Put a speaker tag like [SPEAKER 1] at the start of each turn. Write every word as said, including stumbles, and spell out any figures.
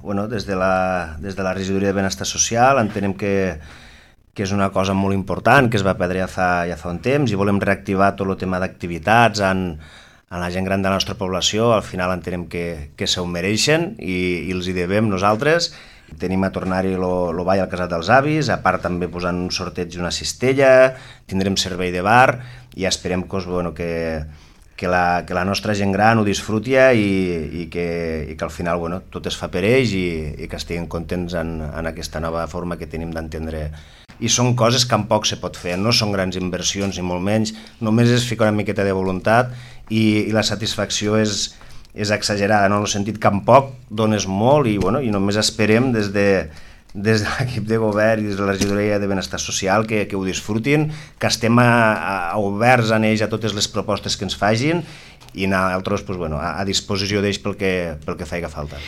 [SPEAKER 1] bueno, des de la, des de la regidoria de benestar social entenem que, que és una cosa molt important, que es va perdre ja fa, ja fa un temps i volem reactivar tot el tema d'activitats en, en la gent gran de la nostra població. Al final entenem que, que s'ho mereixen i, i els hi devem nosaltres. Tenim a tornar-hi el ball al Casal dels Avis, a part també posant un sorteig d'una cistella, tindrem servei de bar i esperem que, bueno, que, que, la, que la nostra gent gran ho disfruti i, i, que, i que al final bueno, tot es fa per ells i, i que estiguin contents en, en aquesta nova forma que tenim d'entendre. I són coses que en poc se pot fer, no són grans inversions ni molt menys, només és ficar una miqueta de voluntat i, i la satisfacció és, és exagerada, no? En el sentit que en poc dones molt i, bueno, i només esperem des de, des de l'equip de govern i des de la regidoria de benestar social que, que ho disfrutin, que estem a, a oberts en ells a totes les propostes que ens fagin i nosaltres pues, bueno, a, a disposició d'ells pel que, pel que faci falta.